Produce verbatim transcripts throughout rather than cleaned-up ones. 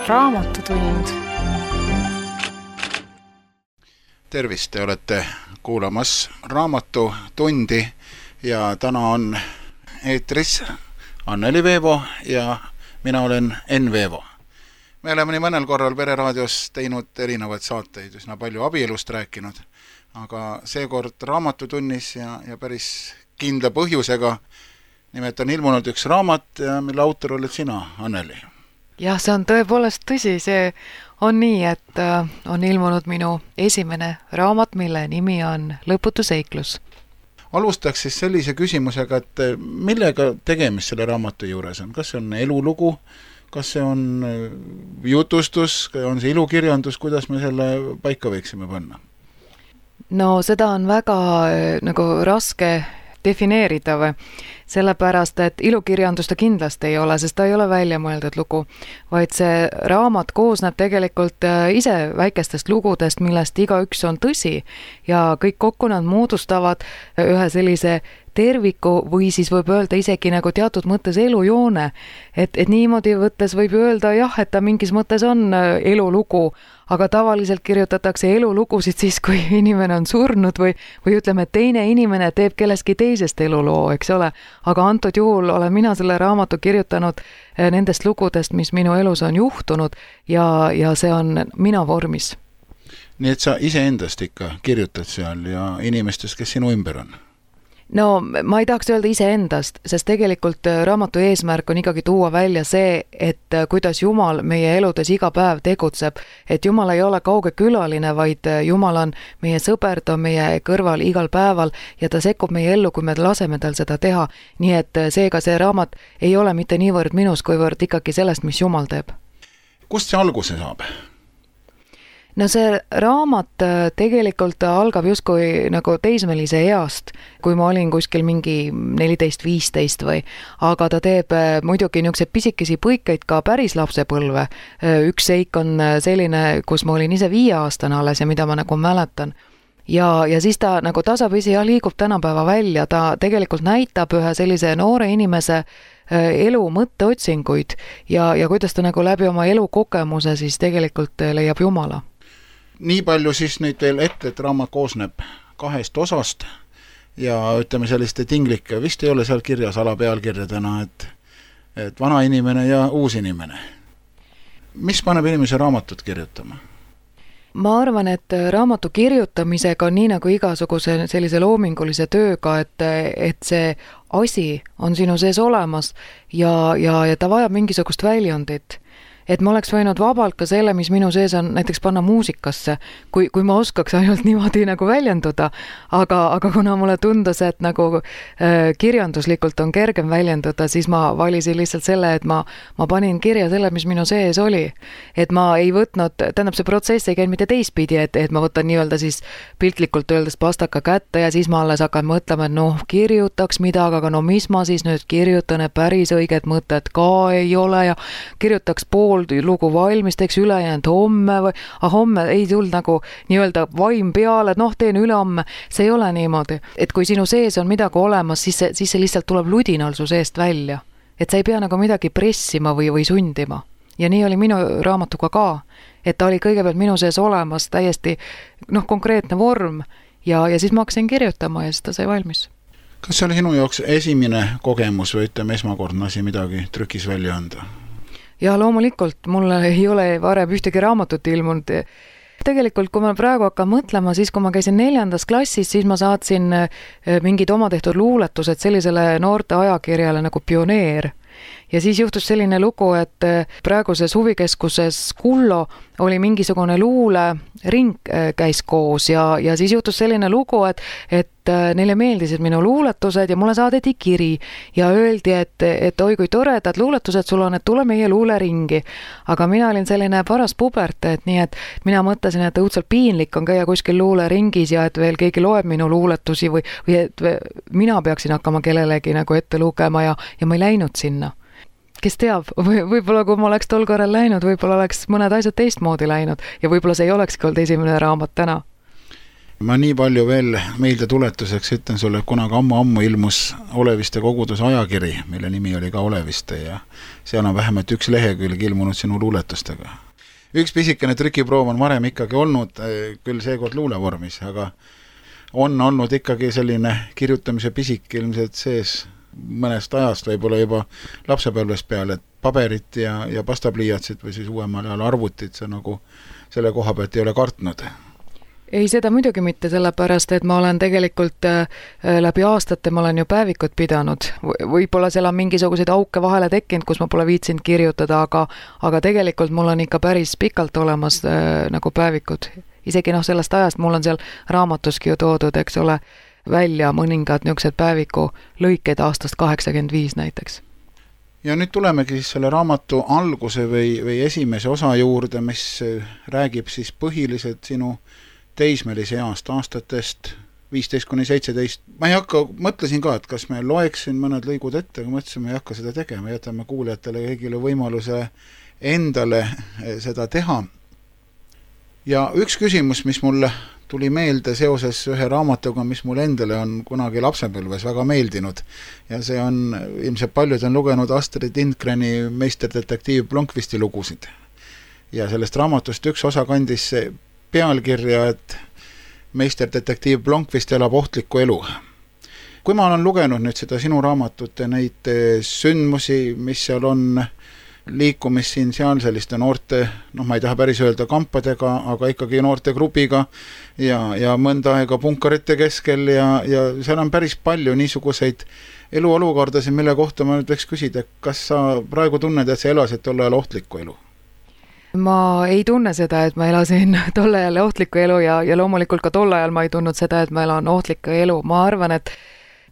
Raamatutund. Tervist, te olete kuulamas Raamatutundi ja täna on eetris Anneli Veevo ja mina olen Enn Veevo. Me oleme nii mõnel korral Pereraadios teinud erinevaid saateid, üsna palju abielust rääkinud, aga seekord Raamatutunnis ja, ja päris kindla põhjusega. Nimelt on ilmunud üks raamat, mille autor oled sina, Anneli. Jah, see on tõepoolest tõsi, see on nii, et on ilmunud minu esimene raamat, mille nimi on Lõputu seiklus. Alustaks siis sellise küsimusega, et millega tegemist selle raamatu juures on? Kas see on elulugu, kas see on jutustus, on see ilukirjandus, kuidas me selle paika võiksime panna? No seda on väga nagu raske defineerida või, sellepärast, et ilukirjandus ta kindlasti ei ole, sest ta ei ole välja mõeldud lugu, vaid see raamat koosneb tegelikult ise väikestest lugudest, millest igaüks on tõsi ja kõik kokku nad moodustavad ühe sellise terviku või siis võib öelda isegi nagu teatud mõttes elujoone, et, et niimoodi võttes võib öelda jah, et ta mingis mõttes on elulugu, aga tavaliselt kirjutatakse elulugusid siis, kui inimene on surnud või, või ütleme, et teine inimene teeb kelleski teisest eluloo, eks ole. Aga antud juhul olen mina selle raamatu kirjutanud nendest lugudest, mis minu elus on juhtunud ja, ja see on mina vormis. Nii et sa iseendast ikka kirjutad seal ja inimestest, kes sinu ümber on? No ma ei tahaks öelda iseendast, sest tegelikult raamatu eesmärk on ikkagi tuua välja see, et kuidas Jumal meie eludes iga päev tegutseb, et Jumal ei ole kauge külaline, vaid Jumal on meie sõber, ta on meie kõrval igal päeval ja ta sekkub meie ellu, kui me laseme tal seda teha. Nii et seega see raamat ei ole mitte niivõrd minus, kuivõrd ikkagi sellest, mis Jumal teeb. Kust see alguse saab? No see raamat tegelikult algab justkui nagu teismelise east, kui ma olin kuskil mingi neliteist viisteist või, aga ta teeb muidugi niisugused pisikesi põikeid ka päris lapsepõlve. Üks seik on selline, kus ma olin ise viieaastane alles ja mida ma nagu mäletan. Ja, ja siis ta nagu tasapisi ja liigub tänapäeva välja, ta tegelikult näitab ühe sellise noore inimese elu mõtteotsinguid ja, ja kuidas ta nagu läbi oma elukogemuse siis tegelikult leiab Jumala. Nii palju siis nüüd veel ette, et raamat koosneb kahest osast ja ütleme selliste tinglike, vist ei ole seal kirjas alapealkirjadena, et, et vana inimene ja uus inimene. Mis paneb inimese raamatut kirjutama? Ma arvan, et raamatu kirjutamisega on nii nagu igasuguse sellise loomingulise tööga, et, et see asi on sinu sees olemas ja, ja, ja ta vajab mingisugust väljundit. Et ma oleks võinud vabalt ka selle, mis minu sees on, näiteks panna muusikasse, kui, kui ma oskaks ainult niimoodi nagu väljenduda, aga, aga kuna mulle tundus, et nagu äh, kirjanduslikult on kergem väljenduda, siis ma valisin lihtsalt selle, et ma, ma panin kirja selle, mis minu sees oli. Et ma ei võtnud, tähendab see protsess ei käinud mitte teistpidi, et, et ma võtan nii-öelda siis piltlikult öeldes pastaka kätte ja siis ma alles hakkan mõtlema, et noh, kirjutaks midagi, aga no mis ma siis nüüd kirjutan, et päris õiget mõtet ka ei ole ja kirjutaks pool lugu valmis, teeks ülejäänud homme või ah, homme ei tulnud nagu nii-öelda vaim peale, et noh, teen ülehomme. See ei ole niimoodi. Et kui sinu sees on midagi olemas, siis see, siis see lihtsalt tuleb ludinal su seest välja. Et sa ei pea nagu midagi pressima või, või sundima. Ja nii oli minu raamatuga ka. Et ta oli kõigepealt minu sees olemas täiesti noh, konkreetne vorm ja, ja siis ma hakkasin kirjutama ja siis ta sai valmis. Kas see oli sinu jaoks esimene kogemus või ütleme esmakordne asi midagi trükis välja anda? Ja loomulikult, mul ei ole varem ühtegi raamatut ilmunud. Tegelikult, kui ma praegu hakkan mõtlema, siis kui ma käisin neljandas klassis, siis ma saatsin mingid oma tehtud luuletused sellisele noorte ajakirjale nagu Pioneer. Ja siis juhtus selline lugu, et praeguses huvikeskuses Kullo oli mingisugune luule ring käis koos ja, ja siis juhtus selline lugu, et, et neile meeldisid minu luuletused ja mulle saadeti kiri ja öeldi, et, et oi kui toredad luuletused sul on, et tule meie luuleringi. Aga mina olin selline paras puberte, et nii, et mina mõtlesin, et õudselt piinlik on käia kuskil luuleringis ja et veel keegi loeb minu luuletusi või, või et mina peaksin hakkama kellelegi nagu ette lugema ja, ja ma ei läinud sinna. Kes teab, või, võib-olla kui ma oleks tol korral läinud, võib-olla oleks mõned asjad teistmoodi läinud ja võib-olla see ei olekski olnud esimene raamat täna. ma nii palju veel meelde tuletuseks ütlen sulle, kunagi ammu-ammu ilmus Oleviste koguduse ajakiri, mille nimi oli ka Oleviste ja seal on vähemalt üks lehekülg ilmunud sinu luuletustega. Üks pisikene trükiproov on varem ikkagi olnud, küll seekord luulevormis, aga on olnud ikkagi selline kirjutamise pisik ilmselt sees mõnest ajast, võib-olla juba lapsepõlvest peale, et paberit ja, ja pastapliiatsid või siis uuemal ajal arvutit, see nagu selle koha pealt ei ole kartnud. Ei, seda muidugi mitte, sellepärast, et ma olen tegelikult äh, läbi aastate, ma olen ju päevikut pidanud. Võib-olla seal on mingisuguseid auke vahele tekkinud, kus ma pole viitsinud kirjutada, aga, aga tegelikult mul on ikka päris pikalt olemas äh, nagu päevikud. Isegi noh, sellest ajast mul on seal raamatuski ju toodud, eks ole, välja mõningad niisugused päeviku lõikeid aastast kaheksakümmend viis näiteks. Ja nüüd tulemegi siis selle raamatu alguse või, või esimese osa juurde, mis räägib siis põhiliselt sinu teismelise east aastatest viisteist kuni seitseteist. Ma ei hakka, mõtlesin ka, et kas me loeksin mõned lõigud ette, aga mõtlesin, me ei hakka seda tegema, jätame kuulajatele kõigile võimaluse endale seda teha. Ja üks küsimus, mis mulle tuli meelde seoses ühe raamatuga, mis mul endale on kunagi lapsepõlves väga meeldinud. Ja see on, ilmselt paljud on lugenud Astrid Lindgreni meisterdetektiiv Blomqvisti lugusid. Ja sellest raamatust üks osa kandis pealkirja, et meisterdetektiiv Blomqvist elab ohtlikku elu. Kui ma olen lugenud nüüd seda sinu raamatut ja neid sündmusi, mis seal on, liikumis siin seal selliste noorte, noh ma ei taha päris öelda kampadega, aga ikkagi noorte grupiga ja, ja mõnda aega punkarite keskel ja, ja seal on päris palju niisuguseid eluolukordasid, mille kohta ma nüüd võiks küsida, kas sa praegu tunned, et sa elasid tol ajal ohtlikku elu? Ma ei tunne seda, et ma elasin tol ajal ohtlikku elu ja, ja loomulikult ka tol ajal ma ei tundnud seda, et ma elan ohtlikku elu. Ma arvan, et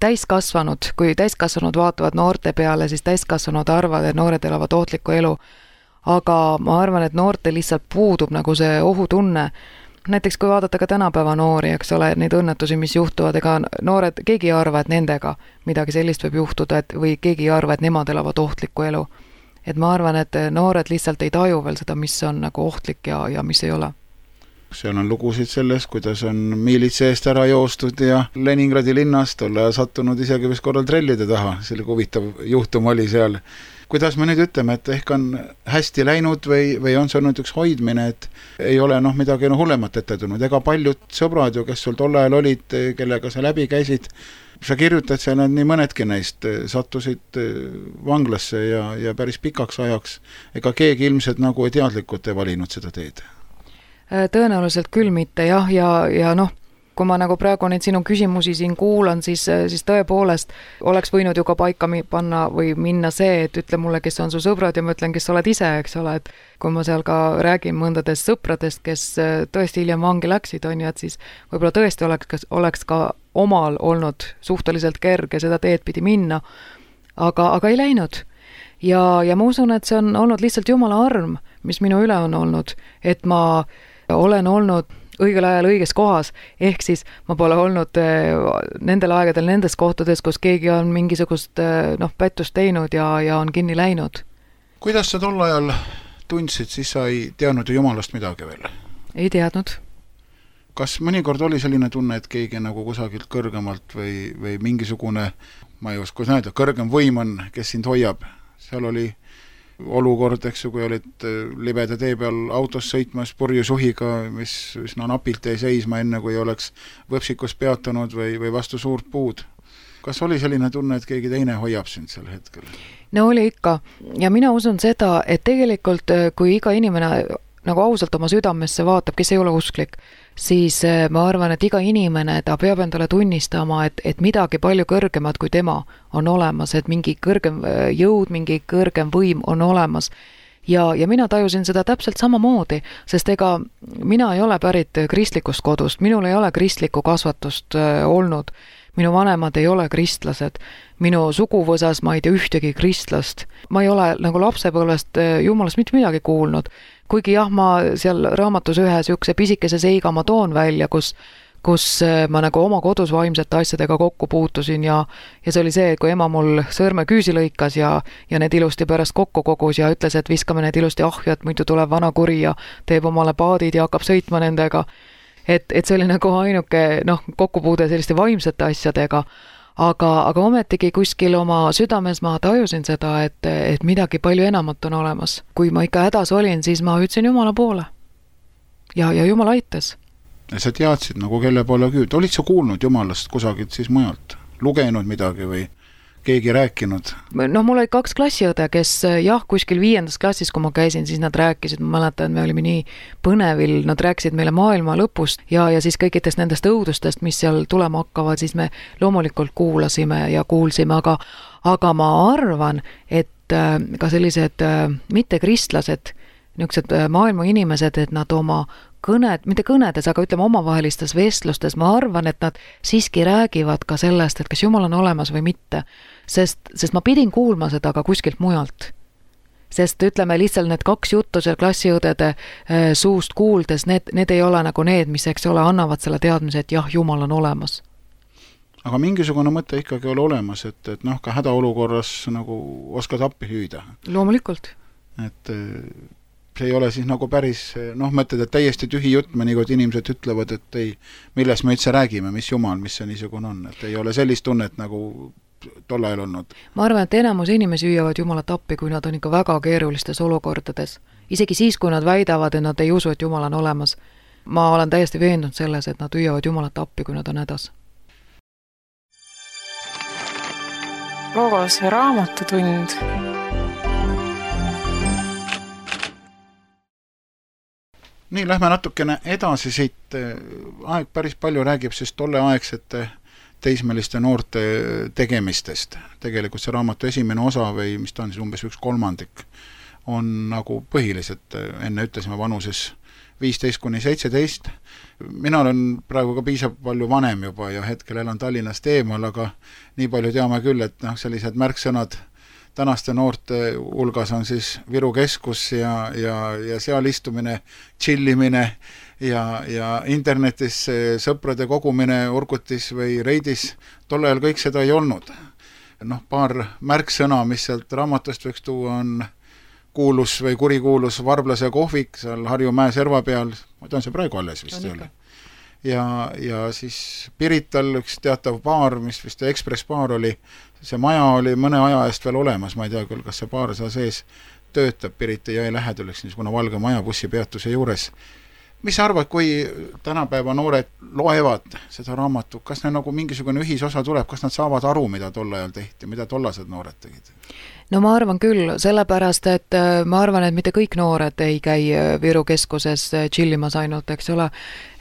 täiskasvanud, kui täiskasvanud vaatavad noorte peale, siis täiskasvanud arvad, et noored elavad ohtlikku elu. Aga ma arvan, et noorte lihtsalt puudub nagu see ohutunne. Näiteks kui vaadata ka tänapäeva noori, eks ole, neid õnnetusi, mis juhtuvad, ega noored, keegi ei arva, et nendega midagi sellist võib juhtuda, et, või keegi ei arva, et nemad elavad ohtlikku elu. Et ma arvan, et noored lihtsalt ei taju veel seda, mis on nagu ohtlik ja, ja mis ei ole. Seal on lugusid sellest, kuidas on miilitse eest ära joostud ja Leningradi linnast olla sattunud isegi vist korral trellide taha. Selle huvitav juhtum oli seal. Kuidas me nüüd ütleme, et ehk on hästi läinud või, või on see olnud üks hoidmine, et ei ole noh midagi no hullemat ette tulnud. Ega paljud sõbrad ju, kes sul tol ajal olid, kellega sa läbi käisid, sa kirjutad seal, et nii mõnedki neist sattusid vanglasse ja, ja päris pikaks ajaks. Ega keegi ilmselt nagu teadlikult ei valinud seda teed. Tõenäoliselt küll mitte, jah, ja, ja noh, kui ma nagu praegu neid sinu küsimusi siin kuulan, siis, siis tõepoolest oleks võinud ju ka paika panna või minna see, et ütle mulle, kes on su sõbrad ja ma ütlen, kes sa oled ise, eks ole, et kui ma seal ka räägin mõndadest sõpradest, kes tõesti hiljem vangi läksid, on ju, et siis võib-olla tõesti oleks, oleks ka omal olnud suhteliselt kerge seda teed pidi minna, aga, aga ei läinud. Ja, ja ma usun, et see on olnud lihtsalt Jumala arm, mis minu üle on olnud, et ma olen olnud õigel ajal õiges kohas, ehk siis ma pole olnud nendel aegadel nendes kohtades, kus keegi on mingisugust noh, pättust teinud ja, ja on kinni läinud. Kuidas sa tol ajal tundsid, siis sa ei teadnud ju Jumalast midagi veel? Ei teadnud. Kas mõnikord oli selline tunne, et keegi nagu kusagilt kõrgemalt või, või mingisugune, ma ei oska näida, kõrgem võim on, kes sind hoiab? Seal oli olukord, eks ju, kui olid libeda tee peal autos sõitmas purjusuhiga, mis, mis no napilt ei seisma enne, kui oleks võpsikus peatanud või, või vastu suurt puud. Kas oli selline tunne, et keegi teine hoiab sind sel hetkel? No oli ikka. Ja mina usun seda, et tegelikult kui iga inimene nagu ausalt oma südamesse vaatab, kes ei ole usklik, siis ma arvan, et iga inimene, ta peab endale tunnistama, et, et midagi palju kõrgemad kui tema on olemas, et mingi kõrgem jõud, mingi kõrgem võim on olemas. Ja, ja mina tajusin seda täpselt samamoodi, sest ega mina ei ole pärit kristlikust kodust, minul ei ole kristlikku kasvatust olnud. Minu vanemad ei ole kristlased, minu suguvõsas ma ei tea ühtegi kristlast. Ma ei ole nagu lapsepõlvest Jumalast mitte midagi kuulnud. Kuigi jah, ma seal raamatus ühe sihukese pisikese seiga ma toon välja, kus, kus ma nagu oma kodus vaimsete asjadega kokku puutusin ja, ja see oli see, kui ema mul sõrme küüsi lõikas ja, ja need ilusti pärast kokku kogus ja ütles, et viskame need ilusti ahju, et muidu tuleb vana kuri ja teeb omale paadid ja hakkab sõitma nendega. et, et see oli nagu ainuke noh, kokkupuude selliste vaimsete asjadega, aga, aga ometigi kuskil oma südames ma tajusin seda, et, et midagi palju enamat on olemas. Kui ma ikka hädas olin, siis ma hüüdsin Jumala poole ja, ja Jumal aitas. Ja sa teadsid nagu kelle poole küüd. Olid sa kuulnud Jumalast kusagilt siis mujalt? Lugenud midagi või keegi rääkinud? No mul oli kaks klassiõde, kes jah, kuskil viiendas klassis, kui ma käisin, siis nad rääkisid, ma mäletan, me olime nii põnevil, nad rääkisid meile maailma lõpust ja, ja siis kõikidest nendest õudustest, mis seal tulema hakkavad, siis me loomulikult kuulasime ja kuulsime, aga, aga ma arvan, et ka sellised mittekristlased, niisugused maailma inimesed, et nad oma kõned, mitte kõnedes, aga ütleme omavahelistes vestlustes, ma arvan, et nad siiski räägivad ka sellest, et kas Jumal on olemas või mitte. Sest, sest ma pidin kuulma seda ka kuskilt mujalt. Sest ütleme lihtsalt need kaks juttu seal klassiõdede suust kuuldes, need, need ei ole nagu need, mis eks ole, annavad selle teadmise, et jah, Jumal on olemas. Aga mingisugune mõte ikkagi oli olemas, et, et noh, ka hädaolukorras nagu oskad appi hüüda. Loomulikult. Et see ei ole siis nagu päris, noh, mõtled, et täiesti tühi jutt, mõnikord inimesed ütlevad, et ei, milles me üldse räägime, mis Jumal, mis see niisugune on, et ei ole sellist tunnet nagu tol ajal olnud. Ma arvan, et enamus inimesi hüüavad Jumalat appi, kui nad on ikka väga keerulistes olukordades. Isegi siis, kui nad väidavad, et nad ei usu, et Jumal on olemas. Ma olen täiesti veendunud selles, et nad hüüavad Jumalat appi, kui nad on hädas. Logos raamatutund. Nii, lähme natukene edasi siit. Aeg päris palju räägib siis tolle aegsete teismeliste noorte tegemistest. Tegelikult see raamatu esimene osa või mis ta on siis umbes üks kolmandik on nagu põhiliselt, enne ütlesime vanuses viisteist kuni seitseteist. Mina olen praegu ka piisab palju vanem juba ja hetkel elan Tallinnast eemal, aga nii palju teame küll, et noh, sellised märksõnad tänaste noorte hulgas on siis Viru keskus ja, ja, ja seal istumine, chillimine ja, ja internetis sõprade kogumine Urgutis või Reidis. Tol ajal kõik seda ei olnud. Noh, paar märksõna, mis sealt raamatust võiks tuua, on kuulus või kurikuulus Varblase kohvik seal Harju mäe serva peal. Ma tean, see praegu alles vist ei ole. Ja, ja siis Pirital üks teatav baar, mis vist Express baar oli, see maja oli mõne aja eest veel olemas, ma ei tea küll, kas see baar seal sees töötab Pirita jõe läheduleks niisugune valge maja bussipeatuse juures. Mis sa arvad, kui tänapäeva noored loevad seda raamatu, kas neil nagu mingisugune ühisosa tuleb, kas nad saavad aru, mida tol ajal tehti, mida tollased noored tegid? No ma arvan küll, sellepärast, et ma arvan, et mitte kõik noored ei käi Viru keskuses chillimas ainult, eks ole.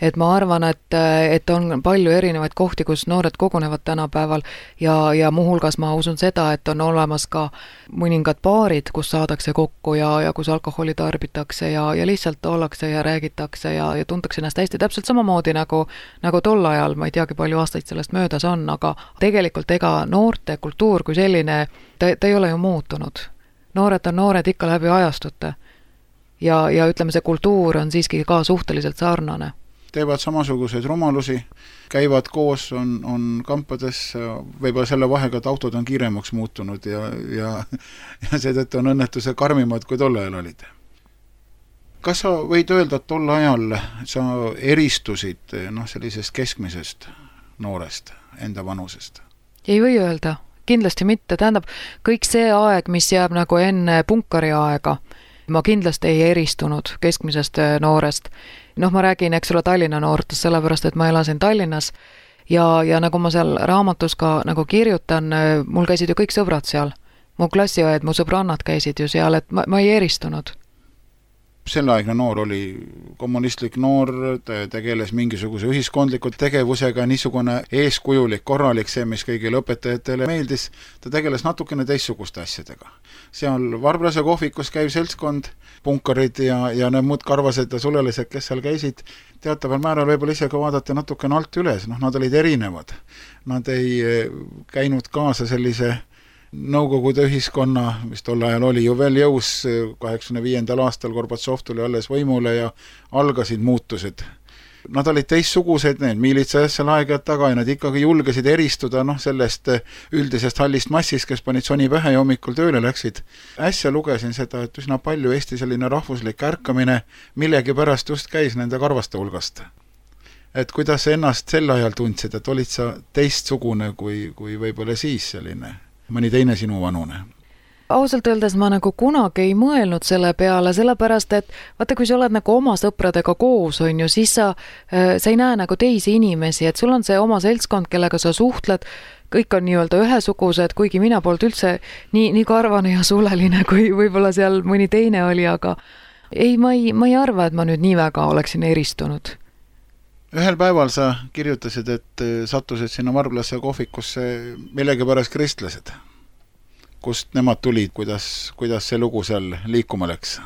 Et ma arvan, et, et on palju erinevaid kohti, kus noored kogunevad tänapäeval ja, ja muuhulgas ma usun seda, et on olemas ka mõningad baarid, kus saadakse kokku ja, ja kus alkoholi tarbitakse ja, ja lihtsalt ollakse ja räägitakse ja, ja tuntakse ennast hästi täpselt samamoodi nagu, nagu tol ajal, ma ei teagi, palju aastaid sellest möödas on, aga tegelikult ega noorte kultuur kui selline, ta, ta ei ole ju muutunud. Noored on noored ikka läbi ajastute ja, ja ütleme, see kultuur on siiski ka suhteliselt sarnane. Teevad samasuguseid rumalusi, käivad koos, on, on kampades, võib-olla selle vahega, et autod on kiiremaks muutunud ja, ja, ja seetõttu on õnnetuse karmimad, kui tol ajal olid. Kas sa võid öelda, et tol ajal sa eristusid noh, sellisest keskmisest noorest, enda vanusest? Ei või öelda, kindlasti mitte. Tähendab, kõik see aeg, mis jääb nagu enne punkari aega, ma kindlasti ei eristunud keskmisest noorest. Noh, ma räägin, eks ole, Tallinna noortest, sellepärast, et ma elasin Tallinnas ja, ja nagu ma seal raamatus ka nagu kirjutan, mul käisid ju kõik sõbrad seal. Mu klassiõed, mu sõbrannad käisid ju seal, et ma, ma ei eristunud. Selleaegne noor oli kommunistlik noor, ta tegeles mingisuguse ühiskondliku tegevusega, niisugune eeskujulik, korralik, see, mis kõigile õpetajatele meeldis, ta tegeles natukene teistsuguste asjadega. Seal Varblase kohvikus käiv seltskond, punkarid ja, ja need muud karvased ja sulelised, kes seal käisid, teataval määral võib-olla ise ka vaadata natukene alt üles, noh, nad olid erinevad. Nad ei käinud kaasa sellise Nõukogude ühiskonna, mis tol ajal oli ju veel jõus, kaheksakümne viiendal aastal Gorbatsov tuli alles võimule ja algasid muutused. Nad olid teistsugused, need miilitsajad seal aegad taga ja nad ikkagi julgesid eristuda noh, sellest üldisest hallist massist, kes panid soni pähe ja hommikul tööle läksid. Äsja lugesin seda, et üsna palju Eesti selline rahvuslik ärkamine millegi pärast just käis nende karvaste hulgast. et kuidas sa ennast sel ajal tundsid, et olid sa teistsugune kui, kui võib-olla siis selline, mõni teine sinu vanune? Ausalt öeldes ma nagu kunagi ei mõelnud selle peale, sellepärast et vaata, kui sa oled nagu oma sõpradega koos, on ju, siis sa, sa ei näe nagu teisi inimesi, et sul on see oma seltskond, kellega sa suhtled, kõik on nii-öelda ühesugused, kuigi mina polnud üldse nii, nii karvane ja suleline, kui võib-olla seal mõni teine oli, aga ei, ma ei, ma ei arva, et ma nüüd nii väga oleksin eristunud. Ühel päeval sa kirjutasid, et sattusid sinna Varblasse kohvikusse millegi pärast kristlased. Kust nemad tulid, kuidas, kuidas see lugu seal liikuma läks?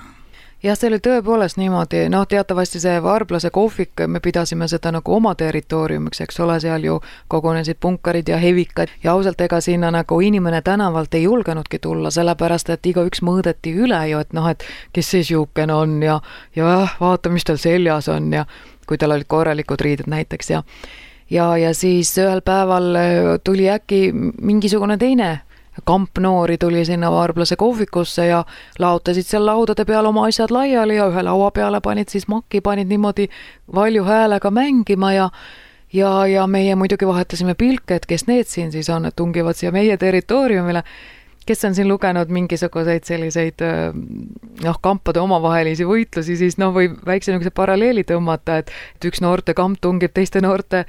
Jah, see oli tõepoolest niimoodi, noh, teatavasti see Varblase kohvik, me pidasime seda nagu oma territooriumiks, eks ole, seal ju kogunesid punkarid ja hevikad ja ausalt ega sinna nagu inimene tänavalt ei julgenudki tulla, sellepärast, et igaüks mõõdeti üle ju, et noh, et kes see siukene on ja, ja vaata, mis tal seljas on ja kui tal olid korralikud riided näiteks ja ja, ja siis ühel päeval tuli äkki mingisugune teine kamp noori tuli sinna Varblase kohvikusse ja laotasid seal laudade peal oma asjad laiali ja ühe laua peale panid siis makki, panid niimoodi valju häälega mängima ja ja, ja meie muidugi vahetasime pilke, et kes need siin siis on, et tungivad siia meie territooriumile. Kes on siin lugenud mingisuguseid selliseid noh, kampade omavahelisi võitlusi, siis noh, võib väikse niisuguse paralleeli tõmmata, et, et üks noorte kamp tungib teiste noorte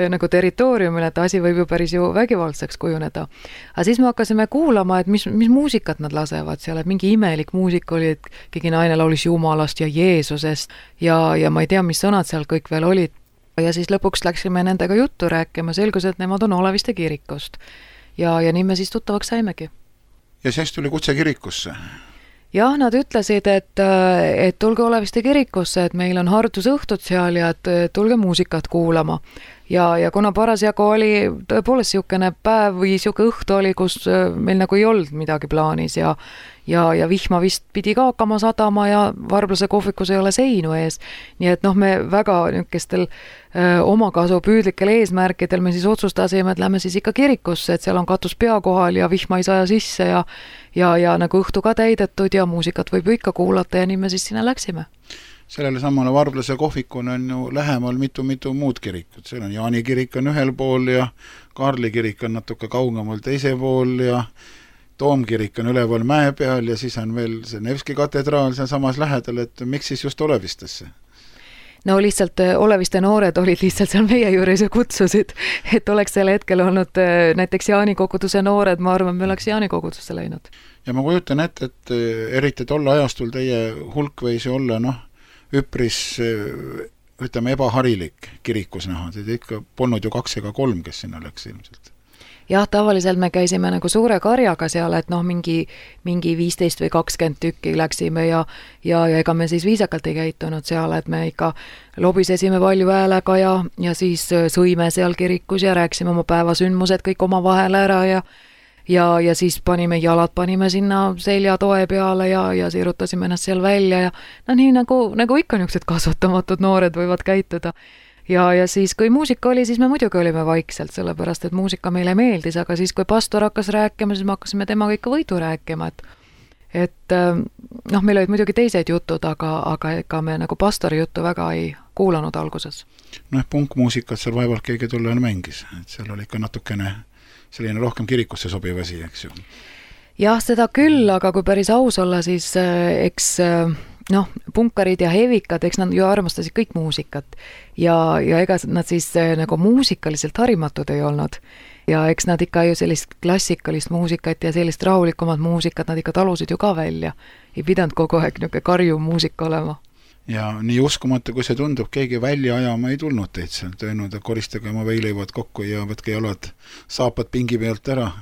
nagu territooriumile, et asi võib ju päris ju vägivaldseks kujuneda. Aga siis me hakkasime kuulama, et mis, mis muusikat nad lasevad seal, et mingi imelik muusik oli, et keegi naine laulis Jumalast ja Jeesusest ja, ja ma ei tea, mis sõnad seal kõik veel olid. Ja siis lõpuks läksime nendega juttu rääkima, selgus, et nemad on Oleviste kirikust. Ja, ja nii me siis tuttavaks saimegi. Ja siis tuli kutse kirikusse? Jah, nad ütlesid, et, et tulge Oleviste kirikusse, et meil on hardusõhtud seal ja et tulge muusikat kuulama. Ja, ja kuna parasjagu oli tõepoolest siukene päev või siuke õhtu oli, kus meil nagu ei olnud midagi plaanis ja, ja, ja vihma vist pidi ka hakkama sadama ja Varblase kohvikus ei ole seinu ees. Nii et noh, me väga niisugustel omakasu püüdlikel eesmärkidel me siis otsustasime, et lähme siis ikka kirikusse, et seal on katus pea kohal ja vihma ei saja sisse ja, ja, ja nagu õhtu ka täidetud ja muusikat võib ju ikka kuulata ja nii me siis sinna läksime. Sellele samale Varblase kohvikun on ju lähemal mitu-mitu muud kirikut. Seal on Jaani kirik on ühel pool ja Kaarli kirik on natuke kaugemal teise pool ja Toomkirik on üleval mäe peal ja siis on veel see Nevski katedraal seal samas lähedal, et miks siis just Olevistesse? No lihtsalt Oleviste noored olid lihtsalt seal meie juures ja kutsusid, et oleks selle hetkel olnud näiteks Jaani koguduse noored, ma arvan, me oleks Jaani kogudusse läinud. Ja ma kujutan ette, et eriti tolle ajastul teie hulk võis olla, noh, üpris, ütleme, ebaharilik kirikus näha. Teid ikka polnud ju kaks ega kolm, kes sinna läks ilmselt. Jah, tavaliselt me käisime nagu suure karjaga seal, et noh, mingi, mingi viisteist või kakskümmend tükki läksime ja, ja, ja ega me siis viisakalt ei käitunud seal, et me ikka lobisesime palju häälega ja, ja siis sõime seal kirikus ja rääksime oma päevasündmused kõik oma vahel ära ja ja, ja siis panime jalad, panime sinna seljatoe peale ja, ja sirutasime ennast seal välja ja no nii nagu, nagu ikka niisugused kasvatamatud noored võivad käituda. Ja, ja siis, kui muusika oli, siis me muidugi olime vaikselt, sellepärast, et muusika meile meeldis, aga siis, kui pastor hakkas rääkima, siis me hakkasime temaga ikka võidu rääkima, et, et noh, meil olid muidugi teised jutud, aga, aga ega me nagu pastori juttu väga ei kuulanud alguses. Noh, punkmuusikat seal vaevalt keegi tol ajal mängis, et seal oli ikka natukene selline rohkem kirikusse sobiv asi, eks ju. Jah, seda küll, aga kui päris aus olla, siis eks noh, punkarid ja hevikad, eks nad ju armastasid kõik muusikat ja, ja ega nad siis nagu muusikaliselt harimatud ei olnud ja eks nad ikka ju sellist klassikalist muusikat ja sellist rahulikumat muusikat nad ikka talusid ju ka välja. Ei pidanud kogu aeg niisugune karju muusika olema. Ja nii uskumata, kui see tundub, keegi välja ajama ei tulnud teid seal, tõenud, et koristage oma veileivad kokku ja võtke jalad saapad pingi pealt ära.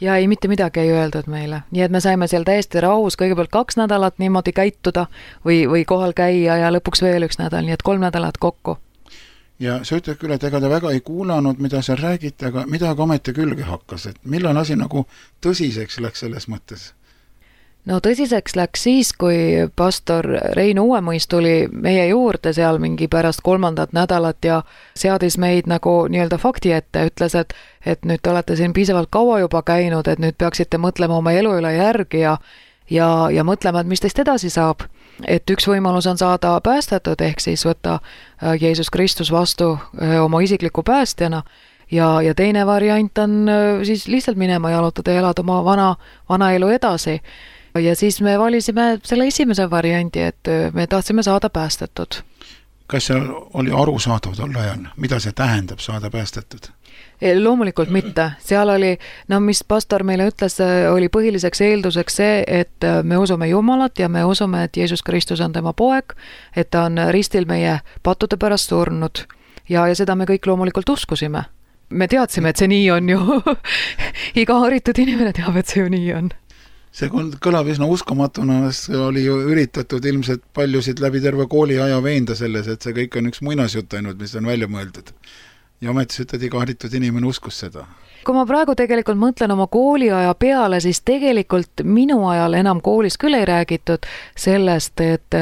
Ja ei mitte midagi ei öeldud meile, nii et me saime seal täiesti rahus kõigepealt kaks nädalat niimoodi käituda või, või kohal käia ja lõpuks veel üks nädal, nii et kolm nädalat kokku. Ja sa ütled küll, et ega te väga ei kuulanud, mida seal räägite, aga midagi ometi külge hakkas, et millal asi nagu tõsiseks läks selles mõttes? No tõsiseks läks siis, kui pastor Rein Uuemõis tuli meie juurde seal mingi pärast kolmandat nädalat ja seadis meid nagu nii-öelda fakti ette, ütles, et, et nüüd te olete siin piisavalt kaua juba käinud, et nüüd peaksite mõtlema oma elu üle järgi ja, ja, ja mõtlema, et mis teist edasi saab. et üks võimalus on saada päästetud, ehk siis võtta Jeesus Kristus vastu oma isikliku päästjana ja, ja teine variant on siis lihtsalt minema jalutada ja elada oma vana, vana elu edasi. Ja siis me valisime selle esimese variandi, et me tahtsime saada päästetud. Kas seal oli arusaadav tol ajal, mida see tähendab saada päästetud? Loomulikult mitte. Seal oli, no mis pastor meile ütles, oli põhiliseks eelduseks see, et me usume Jumalat ja me usume, et Jeesus Kristus on tema poeg, et ta on ristil meie pattude pärast surnud ja, ja seda me kõik loomulikult uskusime. Me teadsime, et see nii on ju. Iga haritud inimene teab, et see ju nii on. See kõlab üsna uskomatuna, oli ju üritatud ilmselt paljusid läbi terve kooli aja veenda selles, et see kõik on üks muinasjutt ainult, mis on välja mõeldud. Ja ometis ütled, iga haritud inimene uskus seda. Kui ma praegu tegelikult mõtlen oma kooliaja peale, siis tegelikult minu ajal enam koolis küll ei räägitud sellest, et,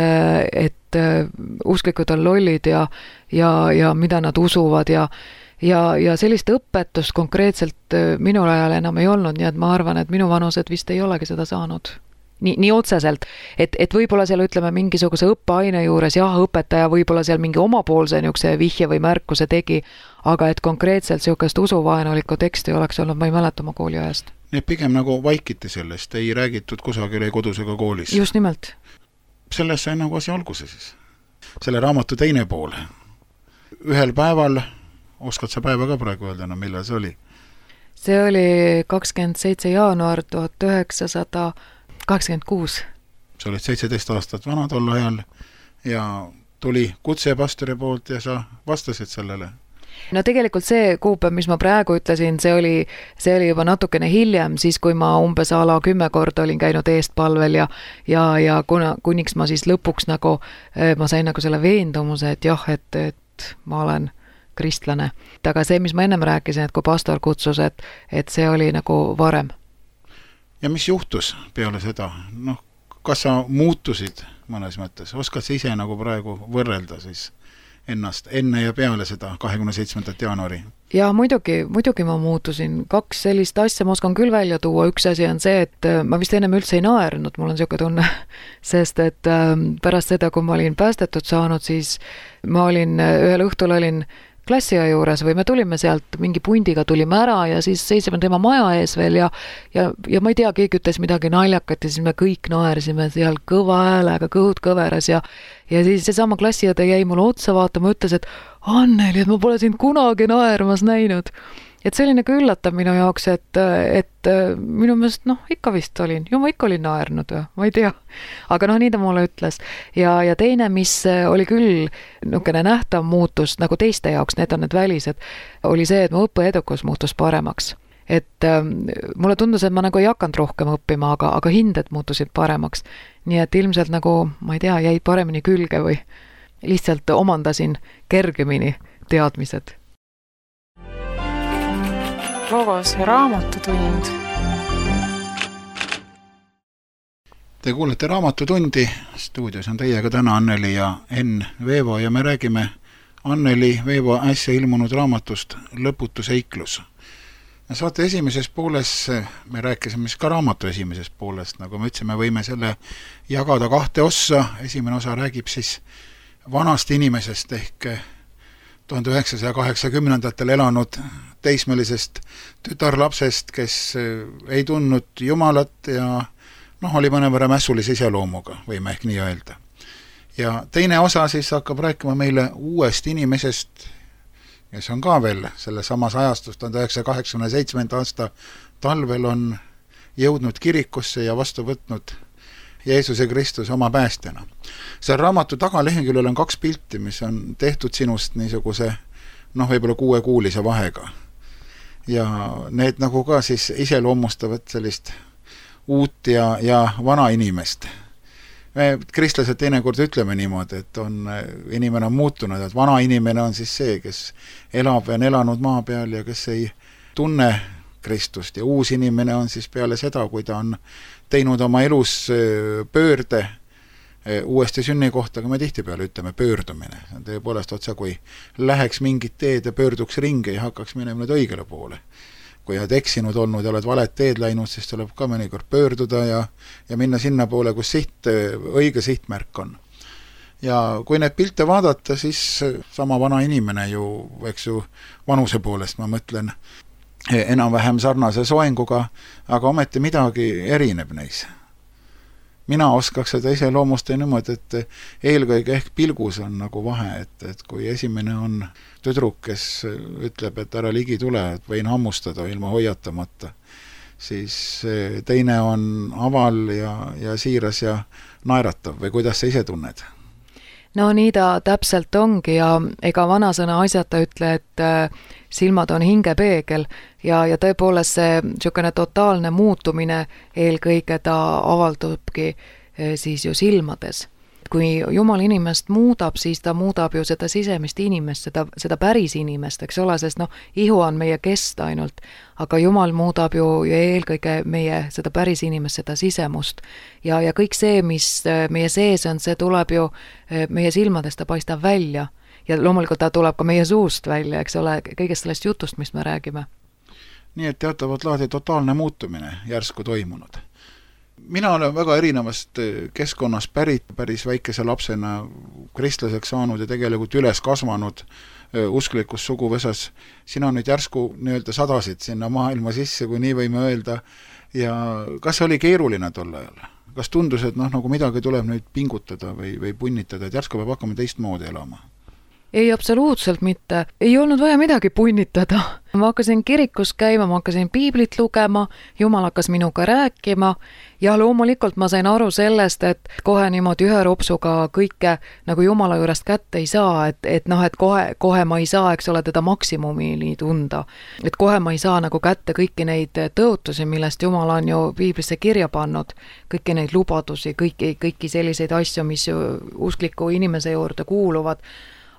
et usklikud on lollid ja, ja, ja mida nad usuvad ja Ja, ja sellist õpetust konkreetselt minul ajal enam ei olnud, nii et ma arvan, et minu vanused vist ei olegi seda saanud. Nii, nii otseselt, et, et võib-olla seal ütleme mingisuguse õppeaine juures, jah, õpetaja võib-olla seal mingi omapoolse niisuguse vihje või märkuse tegi, aga et konkreetselt niisugust usuvaenulikku teksti oleks olnud, ma ei mäleta oma kooliajast. Nii et pigem nagu vaikiti sellest, ei räägitud kusagil ei kodus ega koolis. Just nimelt. Selles sai nagu asi alguse siis. Selle raamatu teine pool. Ühel päeval oskad sa päeva ka praegu öelda, no millal see oli? See oli kakskümmend seitse jaanuar tuhat üheksasada kaheksakümmend kuus. Sa olid seitseteist aastat vana tol ajal ja tuli kutse pastori poolt ja sa vastasid sellele. No tegelikult see kuupäev, mis ma praegu ütlesin, see oli, see oli juba natukene hiljem, siis kui ma umbes ala kümme korda olin käinud eestpalvel ja, ja, ja kuna, kuniks ma siis lõpuks nagu, ma sain nagu selle veendumuse, et jah, et, et ma olen kristlane. Aga see, mis ma ennem rääkisin, et kui pastor kutsus, et, et see oli nagu varem. Ja mis juhtus peale seda? Noh, kas sa muutusid mõnes mõttes? Oskad sa ise nagu praegu võrrelda siis ennast enne ja peale seda kahekümne seitsmendat jaanuari? Ja muidugi, muidugi ma muutusin. Kaks sellist asja ma oskan küll välja tuua. Üks asi on see, et ma vist ennem üldse ei naernud, mul on siuke tunne, sest et pärast seda, kui ma olin päästetud saanud, siis ma olin, ühel õhtul olin klassia juures või me tulime sealt, mingi pundiga tulime ära ja siis seisime tema maja ees veel ja, ja, ja ma ei tea, keegi ütles midagi naljakat ja siis me kõik naersime seal kõva häälega, kõhud kõveras ja, ja siis seesama klassiõde jäi mulle otsa vaatama, ütles, et Anneli, et ma pole sind kunagi naermas näinud. Et see oli nagu üllatav minu jaoks, et, et minu meelest, noh, ikka vist olin, ju ma ikka olin naernud, ma ei tea. Aga noh, nii ta mulle ütles. Ja, ja teine, mis oli küll nukene nähtav muutus, nagu teiste jaoks, need on need välised, oli see, et mu õppeedukus muutus paremaks. Et ähm, mulle tundus, et ma nagu ei hakanud rohkem õppima, aga, aga hinded muutusid paremaks. Nii et ilmselt nagu, ma ei tea, jäid paremini külge või lihtsalt omandasin kergemini teadmised. Logos raamatutund. Te kuulete raamatutundi. Stuudios on teiega täna Anneli ja Enn Veevo ja me räägime Anneli Veevo äsja ilmunud raamatust Lõputu seiklus. Saate esimeses pooles, me rääkisime ka raamatu esimeses poolest, nagu me ütlesime, võime selle jagada kahte ossa. Esimene osa räägib siis vanast inimesest ehk tuhande üheksasaja kaheksakümnendatel elanud teismelisest tütarlapsest, kes ei tundnud Jumalat ja noh, oli mõnevõrra mässulise iseloomuga, võime ehk nii öelda. Ja teine osa siis hakkab rääkima meile uuest inimesest, kes on ka veel selle samas ajastus tuhande üheksasaja kaheksakümne seitsmenda aasta talvel on jõudnud kirikusse ja vastu võtnud Jeesuse Kristus oma päästjana. Seal raamatu tagaleheküljel on kaks pilti, mis on tehtud sinust niisuguse, noh, võib-olla kuuekuulise vahega. Ja need nagu ka siis iseloomustavad sellist uut ja, ja vana inimest. Me kristlased teinekord ütleme niimoodi, et on, inimene on muutunud, et vana inimene on siis see, kes elab ja on elanud maa peal ja kes ei tunne Kristust ja uus inimene on siis peale seda, kui ta on teinud oma elus pöörde uuesti sünni kohta, aga me tihtipeale ütleme pöördumine. Tõepoolest otsa, kui läheks mingit teed ja pöörduks ringi ja hakkaks minema nüüd õigele poole. kui oled eksinud olnud ja oled valet teed läinud, siis tuleb ka mõnikord pöörduda ja, ja minna sinna poole, kus siht, õige sihtmärk on. Ja kui need pilte vaadata, siis sama vana inimene ju, eks ju, vanuse poolest, ma mõtlen, enam-vähem sarnase soenguga, aga ometi midagi erineb neis. Mina oskaks seda ise loomusta niimoodi, et eelkõige ehk pilgus on nagu vahe, et, et kui esimene on tüdruk, kes ütleb, et ära ligi tule, et võin hammustada ilma hoiatamata, siis teine on aval ja, ja siiras ja naeratav või kuidas sa ise tunned? No nii ta täpselt ongi ja ega vanasõna asjata ütle, et silmad on hingepeegel ja, ja tõepoolest see niisugune totaalne muutumine eelkõige ta avaldubki siis ju silmades. Kui Jumal inimest muudab, siis ta muudab ju seda sisemist inimest, seda, seda päris inimest, eks ole, sest noh, ihu on meie kest ainult, aga Jumal muudab ju eelkõige meie seda päris inimest, seda sisemust. Ja, ja kõik see, mis meie sees on, see tuleb ju meie silmadest, ta paistab välja. Ja loomulikult ta tuleb ka meie suust välja, eks ole, kõigest sellest jutust, mis me räägime. Nii et teatavat laadi totaalne muutumine järsku toimunud. Mina olen väga erinevast keskkonnas pärit, päris väikese lapsena kristlaseks saanud ja tegelikult üles kasvanud usklikus suguvõsas. Sina nüüd järsku nii-öelda sadasid sinna maailma sisse, kui nii võime öelda. Ja kas oli keeruline tol ajal? Kas tundus, et noh, nagu midagi tuleb nüüd pingutada või, või punnitada, et järsku peab hakkama teistmoodi elama? Ei, absoluutselt mitte. Ei olnud vaja midagi punnitada. Ma hakkasin kirikus käima, ma hakkasin piiblit lugema, Jumal hakkas minuga rääkima ja loomulikult ma sain aru sellest, et kohe niimoodi ühe ropsuga kõike nagu Jumala juurest kätte ei saa, et, et noh, et kohe, kohe ma ei saa, eks ole, teda maksimumini tunda. Et kohe ma ei saa nagu kätte kõiki neid tõotusi, millest Jumal on ju piiblisse kirja pannud, kõiki neid lubadusi, kõiki, kõiki selliseid asju, mis uskliku inimese juurde kuuluvad.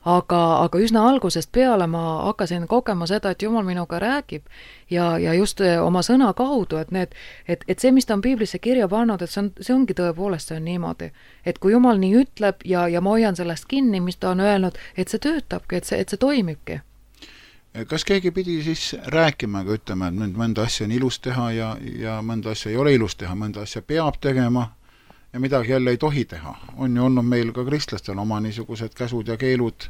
Aga, aga üsna algusest peale ma hakkasin kogema seda, et Jumal minuga räägib ja, ja just oma sõna kaudu, et, need, et, et see, mis ta on piiblisse kirja pannud, et see, on, see ongi tõepoolest see on niimoodi. Et kui Jumal nii ütleb ja, ja ma hoian sellest kinni, mis ta on öelnud, et see töötabki, et see, et see toimibki. Kas keegi pidi siis rääkima, aga ütlema, et mõnda asja on ilus teha ja, ja mõnda asja ei ole ilus teha, mõnda asja peab tegema ja midagi jälle ei tohi teha. On ju olnud meil ka kristlastel oma niisugused käsud ja keelud,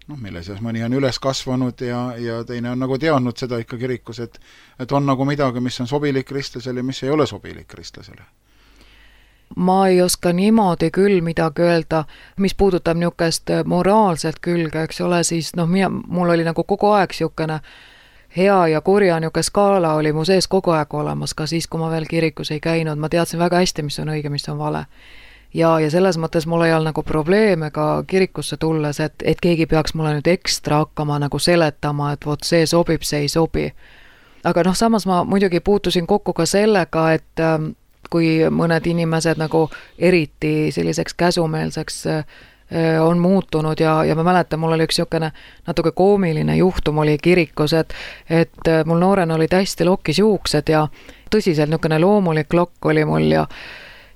noh, mille seas mõni on üles kasvanud ja, ja teine on nagu teadnud seda ikka kirikus, et, et on nagu midagi, mis on sobilik kristlasele ja mis ei ole sobilik kristlasele. Ma ei oska niimoodi küll midagi öelda, mis puudutab niisugust moraalset külge, eks ole, siis noh, mina, mul oli nagu kogu aeg niisugune hea ja kurja niisugune skaala oli mu sees kogu aeg olemas, ka siis, kui ma veel kirikus ei käinud, ma teadsin väga hästi, mis on õige, mis on vale. Ja, ja selles mõttes mul ei olnud nagu probleeme ka kirikusse tulles, et, et keegi peaks mulle nüüd ekstra hakkama nagu seletama, et vot see sobib, see ei sobi. Aga noh, samas ma muidugi puutusin kokku ka sellega, et kui mõned inimesed nagu eriti selliseks käsumeelseks on muutunud ja, ja ma mäletan, mul oli üks niisugune natuke koomiline juhtum oli kirikus, et, et mul noorena oli täiesti lokkis juuksed ja tõsiselt niisugune loomulik lokk oli mul ja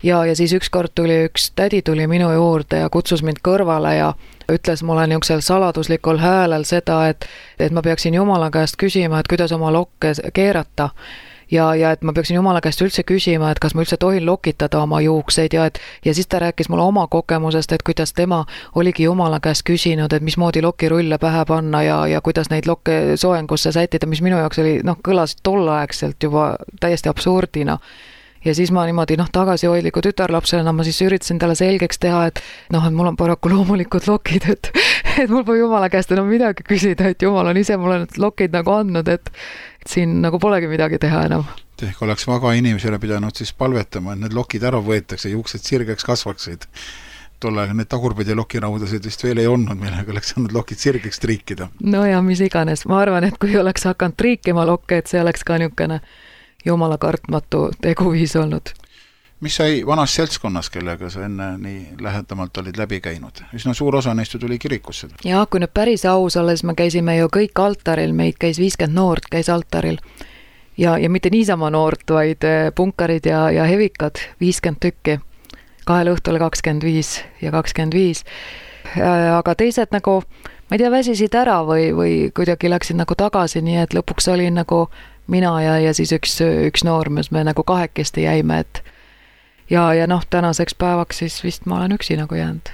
ja, ja siis ükskord tuli üks tädi tuli minu juurde ja kutsus mind kõrvale ja ütles mulle niisugusel saladuslikul häälel seda, et, et ma peaksin Jumala käest küsima, et kuidas oma lokke keerata. Ja, ja et ma peaksin Jumala käest üldse küsima, et kas ma üldse tohin lokitada oma juukseid ja, et, ja siis ta rääkis mulle oma kogemusest, et kuidas tema oligi Jumala käest küsinud, et mismoodi lokirulle pähe panna ja, ja kuidas neid lokke soengusse sätida, mis minu jaoks oli, noh, kõlasid tolleaegselt juba täiesti absurdina. Ja siis ma niimoodi noh, tagasihoidliku tütarlapsena ma siis üritasin talle selgeks teha, et noh, et mul on paraku loomulikud lokid, et, et mul pole Jumala käest enam midagi küsida, et Jumal on ise mulle need lokid nagu andnud, et, et siin nagu polegi midagi teha enam. Ehk oleks vaga inimesele pidanud siis palvetama, et need lokid ära võetakse, juuksed sirgeks kasvaksid. Tolle need tagurpidi lokiraudasid vist veel ei olnud, millega oleks saanud lokid sirgeks triikida. No ja mis iganes, ma arvan, et kui oleks hakanud triikima lokke, et see oleks ka niisugune Jumala kartmatu teguviis olnud. Mis sai vanas seltskonnas, kellega sa enne nii lähedamalt olid läbi käinud? Üsna suur osa neist tuli kirikusse. Ja kui nüüd päris aus olles, me käisime ju kõik altaril, meid käis viiskümmend noort käis altaril. Ja, ja mitte niisama noort, vaid punkarid ja, ja hevikad, viiskümmend tükki. Kahel õhtul kakskümmend viis ja kakskümmend viis. Aga teised nagu, ma ei tea, väsisid ära või, või kuidagi läksid nagu tagasi, nii et lõpuks oli nagu mina ja, ja siis üks, üks noormees, me nagu kahekesti jäime, et ja, ja noh, tänaseks päevaks siis vist ma olen üksi nagu jäänud.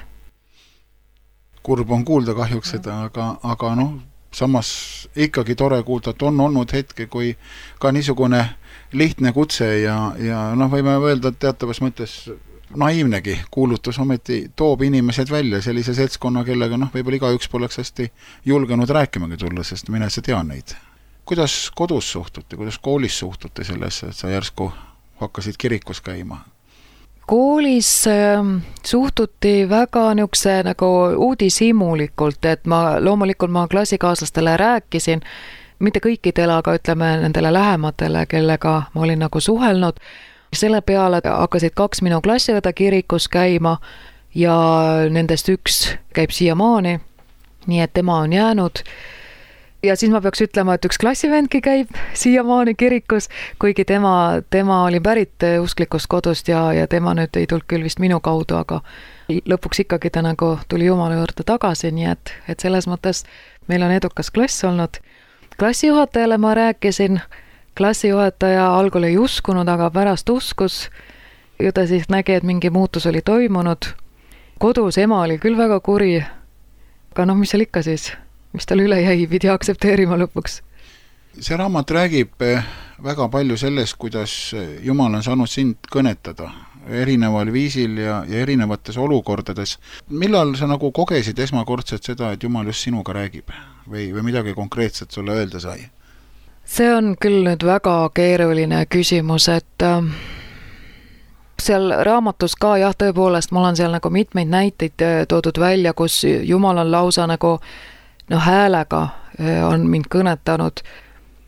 Kurb on kuulda kahjuks seda, aga, aga noh, samas ikkagi tore kuulda, et on olnud hetke, kui ka niisugune lihtne kutse ja, ja noh, võime öelda, et teatavas mõttes naiivnegi kuulutus ometi toob inimesed välja sellise seltskonna, kellega noh, võib-olla igaüks poleks hästi julgenud rääkimagi tulla, sest mina see tean neid. Kuidas kodus suhtuti, kuidas koolis suhtuti sellesse, et sa järsku hakkasid kirikus käima? Koolis äh, suhtuti väga niisuguse nagu uudishimulikult, et ma loomulikult ma klassikaaslastele rääkisin, mitte kõikidele, aga ütleme nendele lähematele, kellega ma olin nagu suhelnud. Selle peale hakkasid kaks minu klassiõda kirikus käima ja nendest üks käib siiamaani, nii et tema on jäänud. Ja siis ma peaks ütlema, et üks klassivendki käib siiamaani kirikus, kuigi tema, tema oli pärit usklikust kodust ja, ja tema nüüd ei tulnud küll vist minu kaudu, aga lõpuks ikkagi ta nagu tuli Jumala juurde tagasi, nii et, et selles mõttes meil on edukas klass olnud. Klassijuhatajale ma rääkisin, klassijuhataja algul ei uskunud, aga pärast uskus ja ta siis nägi, et mingi muutus oli toimunud. Kodus ema oli küll väga kuri, aga noh, mis seal ikka siis, mis tal üle jäi, pidi aktsepteerima lõpuks. See raamat räägib väga palju sellest, kuidas Jumal on saanud sind kõnetada erineval viisil ja, ja erinevates olukordades. Millal sa nagu kogesid esmakordselt seda, et Jumal just sinuga räägib või, või midagi konkreetset sulle öelda sai? See on küll nüüd väga keeruline küsimus, et äh, seal raamatus ka jah, tõepoolest, mul on seal nagu mitmeid näiteid toodud välja, kus Jumal on lausa nagu no häälega on mind kõnetanud,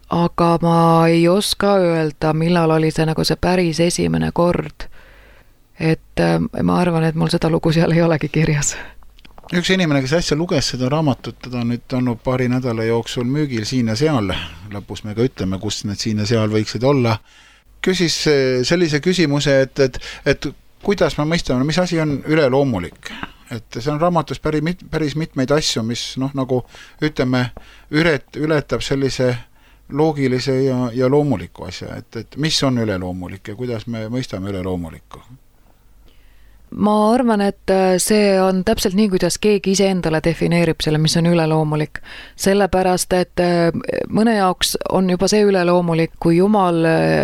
aga ma ei oska öelda, millal oli see nagu see päris esimene kord. Et äh, ma arvan, et mul seda lugu seal ei olegi kirjas. Üks inimene, kes äsja luges seda raamatut, teda on nüüd olnud paari nädala jooksul müügil siin ja seal, lõpus me ka ütleme, kus need siin ja seal võiksid olla, küsis sellise küsimuse, et, et, et kuidas me mõistame, mis asi on üleloomulik. Et see on raamatus päris, mit, päris mitmeid asju, mis noh, nagu ütleme, üret, ületab sellise loogilise ja, ja loomuliku asja, et, et mis on üleloomulik ja kuidas me mõistame üleloomulikku. Ma arvan, et see on täpselt nii, kuidas keegi ise endale defineerib selle, mis on üleloomulik. Sellepärast, et mõne jaoks on juba see üleloomulik, kui Jumal,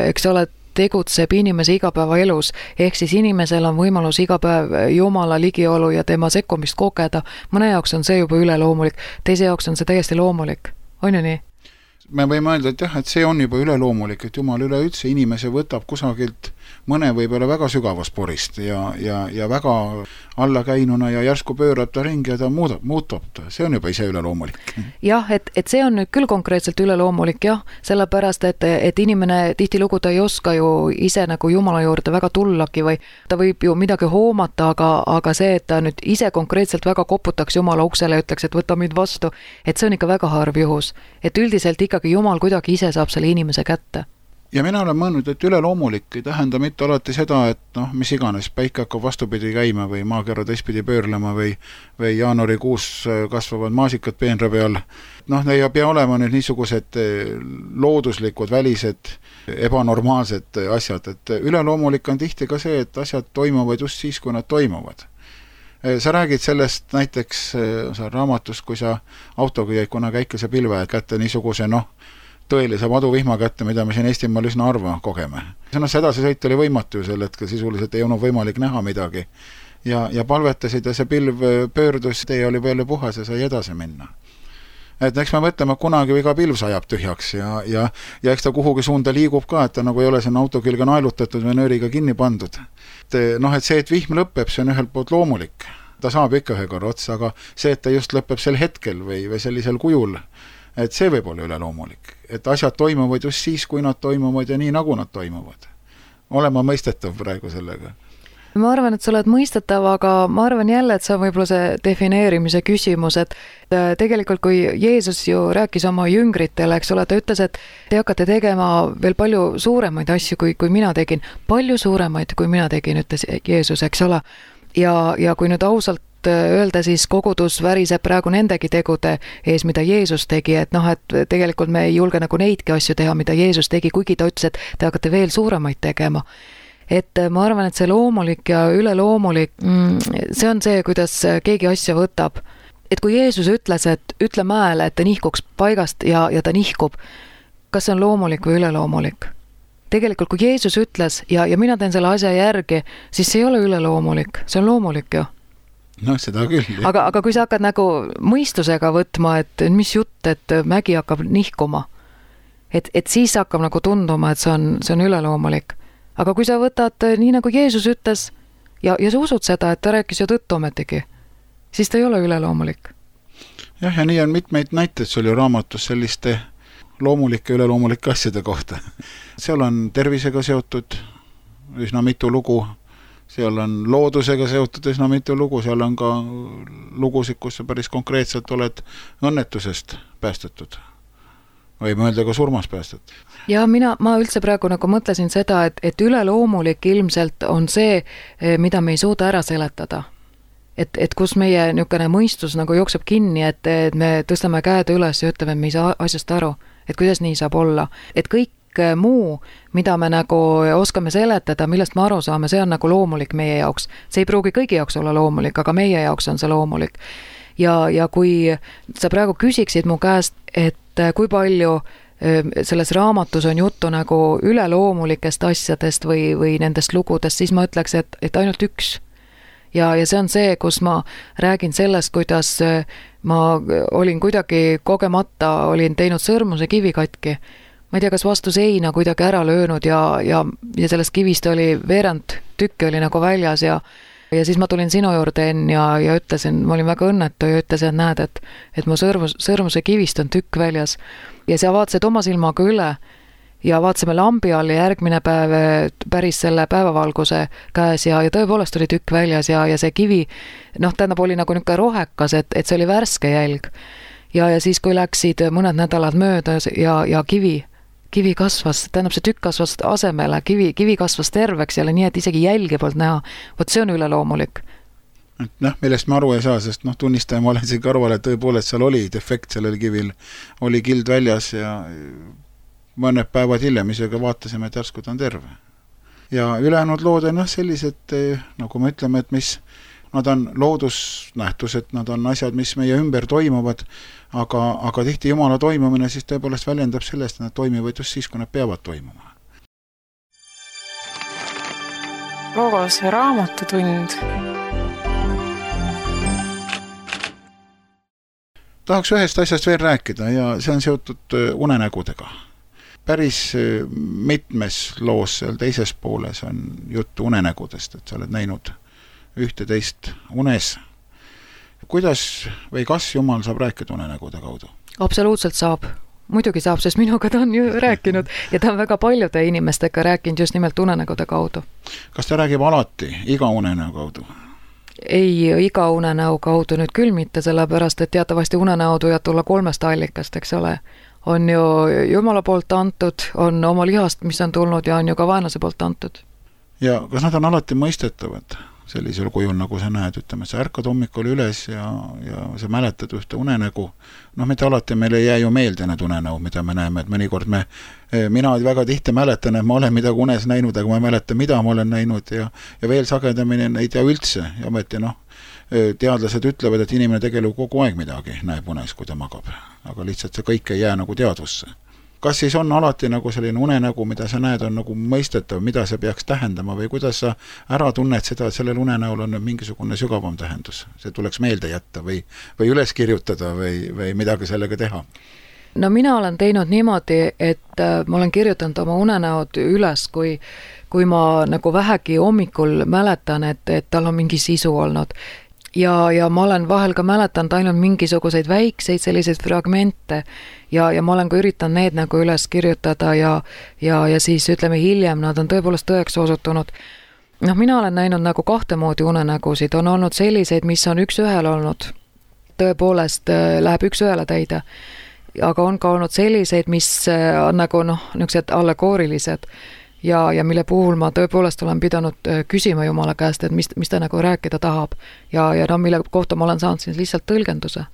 eks ole, tegutseb inimese igapäevaelus, ehk siis inimesel on võimalus iga päev Jumala ligiolu ja tema sekkumist kogeda. Mõne jaoks on see juba üleloomulik, teise jaoks on see täiesti loomulik. On ju nii? Me võime öelda, et jah, et see on juba üleloomulik, et Jumal üleüldse inimese võtab kusagilt mõne võib-olla väga sügavast porist ja, ja, ja väga allakäinuna ja järsku pöörab ta ringi ja ta muudab, muutub ta. See on juba ise üleloomulik. Jah, et, et see on nüüd küll konkreetselt üleloomulik, jah, sellepärast, et, et inimene tihtilugu ta ei oska ju ise nagu Jumala juurde väga tullagi või ta võib ju midagi hoomata, aga, aga see, et ta nüüd ise konkreetselt väga koputaks Jumala uksele ja ütleks, et võta mind vastu, et see on ikka väga harv juhus. Et üldiselt ikkagi Jumal kuidagi ise saab selle inimese kätte. Ja mina olen mõelnud, et üleloomulik ei tähenda mitte alati seda, et noh, mis iganes, päike hakkab vastupidi käima või maakera teistpidi pöörlema või, või jaanuarikuus kasvavad maasikad peenra peal. Noh, ne ei pea olema nüüd niisugused looduslikud, välised, ebanormaalsed asjad, et üleloomulik on tihti ka see, et asjad toimuvad just siis, kui nad toimuvad. Sa räägid sellest näiteks sa raamatus, kui sa autoga jäid kuna käikese pilve kätte niisuguse noh, tõelise maduvihma kätte, mida me siin Eestimaal üsna arva kogeme. Sõnas edasi sõit oli võimatu ju sel hetkel, sisuliselt ei olnud võimalik näha midagi. Ja, ja palvetasid ja see pilv pöördus, tee oli veel puhas ja sai edasi minna. Et eks me mõtleme, kunagi iga pilv sajab tühjaks ja, ja, ja eks ta kuhugi suunda liigub ka, et ta nagu ei ole sinna auto külge naelutatud või nööriga kinni pandud. Et, noh, et see, et vihm lõpeb, see on ühelt poolt loomulik. Ta saab ikka ühe korra otsa, aga see, et ta just lõpeb sel hetkel või, või sellisel kujul, et see võib olla üleloomulik. Et asjad toimuvad just siis, kui nad toimuvad ja nii nagu nad toimuvad. Olen ma mõistetav praegu sellega? Ma arvan, et sa oled mõistetav, aga ma arvan jälle, et see on võib-olla see defineerimise küsimus, et tegelikult kui Jeesus ju rääkis oma jüngritele, eks ole, ta ütles, et te hakkate tegema veel palju suuremaid asju, kui, kui mina tegin. Palju suuremaid, kui mina tegin, ütles Jeesus, eks ole. Ja, ja kui nüüd ausalt öelda, siis kogudus väriseb praegu nendegi tegude ees, mida Jeesus tegi, et noh, et tegelikult me ei julge nagu neidki asju teha, mida Jeesus tegi, kuigi ta ütles, et te hakkate veel suuremaid tegema. Et ma arvan, et see loomulik ja üleloomulik, see on see, kuidas keegi asja võtab. Et kui Jeesus ütles, et ütle mäele, et ta nihkuks paigast ja, ja ta nihkub, kas see on loomulik või üleloomulik? Tegelikult, kui Jeesus ütles ja, ja mina teen selle asja järgi, siis see ei ole üleloomulik, see on loomulik ju. Noh, seda küll. Aga, aga kui sa hakkad nagu mõistusega võtma, et mis jutt, et mägi hakkab nihkuma, et, et siis hakkab nagu tunduma, et see on, see on üleloomulik. Aga kui sa võtad nii nagu Jeesus ütles ja, ja sa usud seda, et ta rääkis ju tõtt ometigi, siis ta ei ole üleloomulik. Jah, ja nii on mitmeid näiteid sul ju raamatus selliste loomulike ja üleloomulike asjade kohta. Seal on tervisega seotud üsna mitu lugu, seal on loodusega seotud üsna mitu lugu, seal on ka lugusid, kus sa päris konkreetselt oled õnnetusest päästetud. Võime öelda ka surmas päästet. Ja mina, ma üldse praegu nagu mõtlesin seda, et, et üleloomulik ilmselt on see, mida me ei suuda ära seletada. Et, et kus meie niisugune mõistus nagu jookseb kinni, et, et me tõstame käed üles ja ütleme, et me ei saa asjast aru, et kuidas nii saab olla. Et kõik muu, mida me nagu oskame seletada, millest me aru saame, see on nagu loomulik meie jaoks. See ei pruugi kõigi jaoks olla loomulik, aga meie jaoks on see loomulik. Ja, ja kui sa praegu küsiksid mu käest, et kui palju selles raamatus on juttu nagu üleloomulikest asjadest või, või nendest lugudest, siis ma ütleks, et, et ainult üks. Ja, ja see on see, kus ma räägin sellest, kuidas ma olin kuidagi kogemata, olin teinud sõrmuse kivi katki. Ma ei tea, kas vastu seina kuidagi ära löönud ja, ja, ja sellest kivist oli veerand tükki oli nagu väljas ja Ja siis ma tulin sinu juurde enne ja, ja ütlesin, ma olin väga õnnetu ja ütlesin, et näed, et, et mu sõrmus, sõrmuse kivist on tükk väljas. Ja sa vaatasid oma silmaga üle ja vaatasime lambi all ja järgmine päev päris selle päevavalguse käes ja, ja tõepoolest oli tükk väljas ja, ja see kivi, noh, tähendab oli nagu niisugune rohekas, et, et see oli värske jälg. Ja, ja siis, kui läksid mõned nädalad mööda ja, ja kivi, kivi kasvas, tähendab see tükk kasvas asemele, kivi, kivi kasvas terveks jälle nii, et isegi jälgi poolt näha. Vot see on üleloomulik. Et noh, millest ma aru ei saa, sest noh, tunnistaja ma olen siin kõrval, et tõepoolest seal oli defekt sellel kivil, oli kild väljas ja mõned päevad hiljem isegi vaatasime, et järsku ta on terve. Ja ülejäänud lood on noh, sellised, nagu me ütleme, et mis nad on loodusnähtused, nad on asjad, mis meie ümber toimuvad, aga, aga tihti Jumala toimumine siis tõepoolest väljendab sellest, et nad toimivad just siis, kui nad peavad toimuma. Logos raamatutund. Tahaks ühest asjast veel rääkida ja see on seotud unenägudega. Päris mitmes loos seal teises pooles on juttu unenägudest, et sa oled näinud ühte teist unes. Kuidas või kas Jumal saab rääkida unenägude kaudu? Absoluutselt saab. Muidugi saab, sest minuga ta on ju rääkinud ja ta on väga paljude inimestega rääkinud just nimelt unenägude kaudu. Kas ta räägib alati iga unenäo kaudu? Ei, iga unenäo kaudu nüüd küll mitte, sellepärast, et teatavasti unenäod võivad tulla kolmest allikast, eks ole. On ju Jumala poolt antud, on oma lihast, mis on tulnud ja on ju ka vaenlase poolt antud. Ja kas nad on alati mõistetavad? Sellisel kujul, nagu sa näed, ütleme, sa ärkad hommikul üles ja, ja sa mäletad ühte unenägu. Noh, mitte alati meil ei jää ju meelde need unenäud, mida me näeme, et mõnikord me, mina väga tihti mäletan, et ma olen midagi unes näinud, aga ma ei mäleta, mida ma olen näinud ja, ja veel sagedamini ei tea üldse. Ja ometi, noh, teadlased ütlevad, et inimene tegelikult kogu aeg midagi näeb unes, kui ta magab, aga lihtsalt see kõik ei jää nagu teadvusse. Kas siis on alati nagu selline unenägu, mida sa näed, on nagu mõistetav, mida see peaks tähendama või kuidas sa ära tunned seda, et sellel unenäol on mingisugune sügavam tähendus? See tuleks meelde jätta või, või üles kirjutada või, või midagi sellega teha? No mina olen teinud niimoodi, et ma olen kirjutanud oma unenäod üles, kui, kui ma nagu vähegi hommikul mäletan, et, et tal on mingi sisu olnud. Ja, ja ma olen vahel ka mäletanud ainult mingisuguseid väikseid selliseid fragmente ja, ja ma olen ka üritanud need nagu üles kirjutada ja, ja, ja siis ütleme hiljem nad on tõepoolest tõeks osutunud. Noh, mina olen näinud nagu kahte moodi unenägusid, on olnud selliseid, mis on üks ühel olnud, tõepoolest läheb üks ühele täide, aga on ka olnud selliseid, mis on nagu noh, niisugused allegoorilised, ja, ja mille puhul ma tõepoolest olen pidanud küsima Jumala käest, et mis, mis ta nagu rääkida tahab ja, ja no mille kohta ma olen saanud siis lihtsalt tõlgenduse.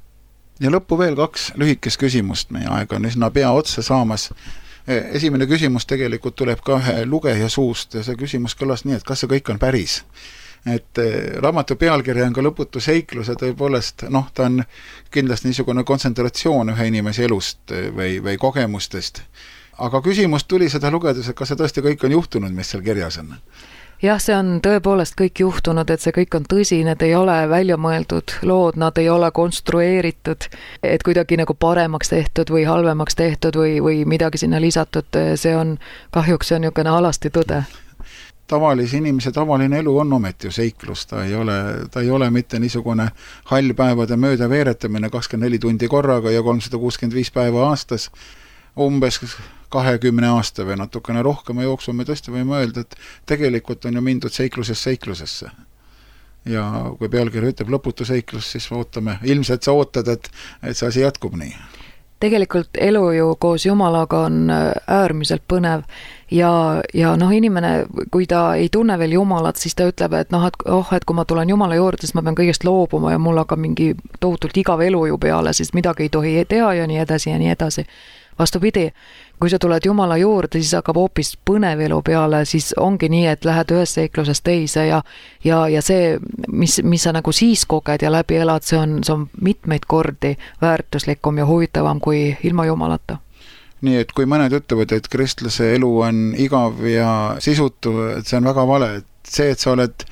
Ja lõppu veel kaks lühikest küsimust, meie aeg on üsna pea otsa saamas. Esimene küsimus tegelikult tuleb ka ühe lugeja suust ja see küsimus kõlas nii, et kas see kõik on päris. Et raamatu pealkirja on ka lõputu seiklus ja tõepoolest, noh, ta on kindlasti niisugune kontsentratsioon ühe inimese elust või, või kogemustest. Aga küsimus tuli seda lugedes, et kas see tõesti kõik on juhtunud, mis seal kirjas on? Jah, see on tõepoolest kõik juhtunud, et see kõik on tõsi, need ei ole välja mõeldud lood, nad ei ole konstrueeritud, et kuidagi nagu paremaks tehtud või halvemaks tehtud või, või midagi sinna lisatud, see on kahjuks see on niisugune alasti tõde. Tavalise inimese tavaline elu on ometi ju seiklus, ta ei ole, ta ei ole mitte niisugune hallpäevade mööda veeretamine kakskümmend neli tundi korraga ja kolmsada kuuskümmend viis päeva aastas, umbes kahekümne aasta või natukene rohkema jooksul me tõesti võime öelda, et tegelikult on ju mindud seiklusest seiklusesse. Ja kui pealkiri ütleb lõputu seiklus, siis ootame, ilmselt sa ootad, et, et see asi jätkub nii. Tegelikult elu ju koos Jumalaga on äärmiselt põnev ja, ja noh, inimene, kui ta ei tunne veel Jumalat, siis ta ütleb, et noh, et, oh, et kui ma tulen Jumala juurde, siis ma pean kõigest loobuma ja mul hakkab mingi tohutult igav elu ju peale, siis midagi ei tohi teha ja nii edasi ja nii edasi. Vastupidi, kui sa tuled Jumala juurde, siis hakkab hoopis põnev elu peale, siis ongi nii, et lähed ühest seiklusest teise ja, ja, ja see, mis, mis sa nagu siis koged ja läbi elad, see on, see on mitmeid kordi väärtuslikum ja huvitavam kui ilma Jumalata. Nii, et kui mõned ütlevad, et kristlase elu on igav ja sisutu, et see on väga vale, et see, et sa oled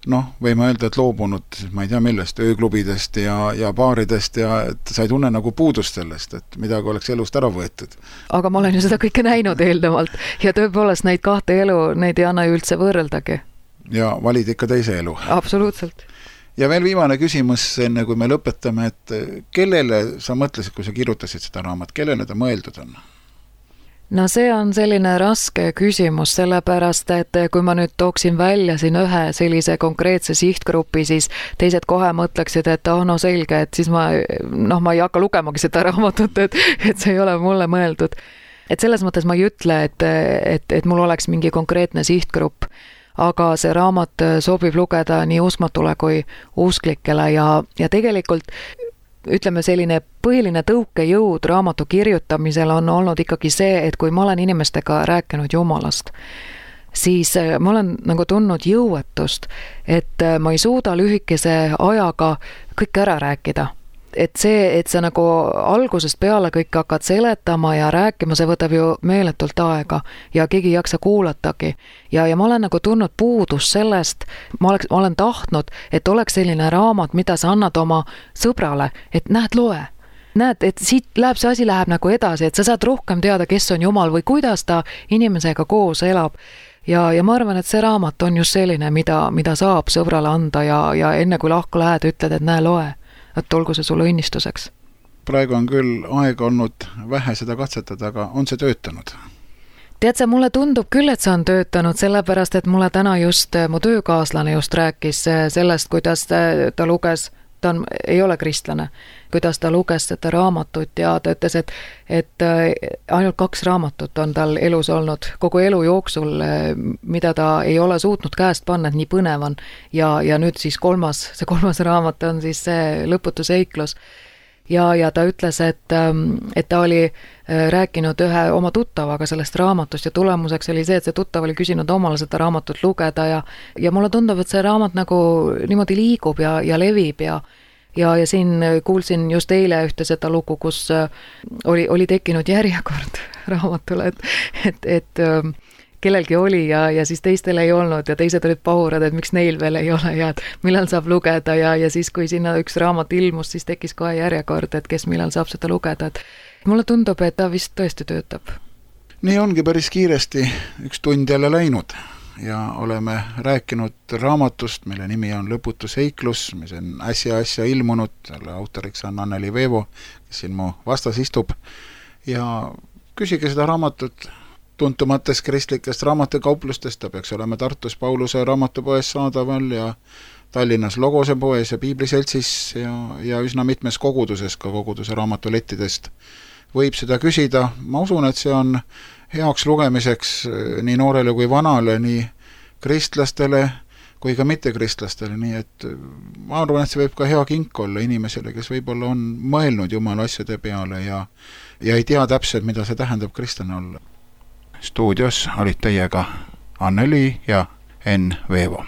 noh, võime öelda, et loobunud, ma ei tea millest, ööklubidest ja, ja baaridest ja et sa ei tunne nagu puudust sellest, et midagi oleks elust ära võetud. Aga ma olen ju seda kõike näinud eelnevalt ja tõepoolest neid kahte elu, neid ei anna ju üldse võrreldagi. Ja valid ikka teise elu. Absoluutselt. Ja veel viimane küsimus, enne kui me lõpetame, et kellele sa mõtlesid, kui sa kirjutasid seda raamat, kellele ta mõeldud on? No see on selline raske küsimus, sellepärast, et kui ma nüüd tooksin välja siin ühe sellise konkreetse sihtgrupi, siis teised kohe mõtleksid, et oh, no selge, et siis ma, noh, ma ei hakka lugemagi seda raamatut, et, et see ei ole mulle mõeldud. Et selles mõttes ma ei ütle, et, et, et mul oleks mingi konkreetne sihtgrupp, aga see raamat sobib lugeda nii uskmatule kui usklikele ja, ja tegelikult ütleme, selline põhiline tõukejõud raamatu kirjutamisel on olnud ikkagi see, et kui ma olen inimestega rääkinud Jumalast, siis ma olen nagu tundnud jõuetust, et ma ei suuda lühikese ajaga kõik ära rääkida. Et see, et sa nagu algusest peale kõik hakkad seletama ja rääkima, see võtab ju meeletult aega ja keegi ei jaksa kuulatagi. Ja, ja ma olen nagu tundnud puudust sellest, ma, oleks, ma olen tahtnud, et oleks selline raamat, mida sa annad oma sõbrale, et näed, loe. Näed, et siit läheb, see asi läheb nagu edasi, et sa saad rohkem teada, kes on Jumal või kuidas ta inimesega koos elab. Ja, ja ma arvan, et see raamat on just selline, mida, mida saab sõbrale anda ja, ja enne kui lahku lähed, ütled, et näe, loe. Et olgu see sulle õnnistuseks. Praegu on küll aega olnud vähe seda katsetada, aga on see töötanud? Tead sa, mulle tundub küll, et see on töötanud, sellepärast, et mulle täna just mu töökaaslane just rääkis sellest, kuidas ta luges, ta on, ei ole kristlane, kuidas ta luges seda raamatut ja ta ütles, et, et ainult kaks raamatut on tal elus olnud kogu elu jooksul, mida ta ei ole suutnud käest panna, et nii põnev on. Ja, ja nüüd siis kolmas, see kolmas raamat on siis see lõputu seiklus. Ja, ja ta ütles, et, et ta oli rääkinud ühe oma tuttavaga sellest raamatust ja tulemuseks oli see, et see tuttav oli küsinud omale seda raamatut lugeda ja, ja mulle tundub, et see raamat nagu niimoodi liigub ja, ja levib ja Ja, ja siin kuulsin just eile ühte seda lugu, kus oli, oli tekkinud järjekord raamatule, et, et, et kellelgi oli ja, ja siis teistel ei olnud ja teised olid pahurad, et miks neil veel ei ole ja et millal saab lugeda ja, ja siis, kui sinna üks raamat ilmus, siis tekkis kohe järjekord, et kes millal saab seda lugeda. Et mulle tundub, et ta vist tõesti töötab. Nii ongi päris kiiresti üks tund jälle läinud. Ja oleme rääkinud raamatust, mille nimi on Lõputu seiklus, mis on äsja äsja ilmunud, selle autoriks on Anneli Veevo, kes siin mu vastas istub. Ja küsige seda raamatut tuntumatest kristlikest raamatukauplustest, ta peaks olema Tartus Pauluse raamatupoes saadaval ja Tallinnas Logose poes ja Piibliseltsis ja, ja üsna mitmes koguduses, ka koguduse raamatulettidest võib seda küsida. Ma usun, et see on heaks lugemiseks nii noorele kui vanale, nii kristlastele kui ka mittekristlastele, nii et ma arvan, et see võib ka hea kink olla inimesele, kes võib-olla on mõelnud Jumala asjade peale ja, ja ei tea täpselt, mida see tähendab kristlane olla. Stuudios olid teiega Anneli ja Enn Veevo.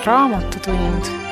Raamatutund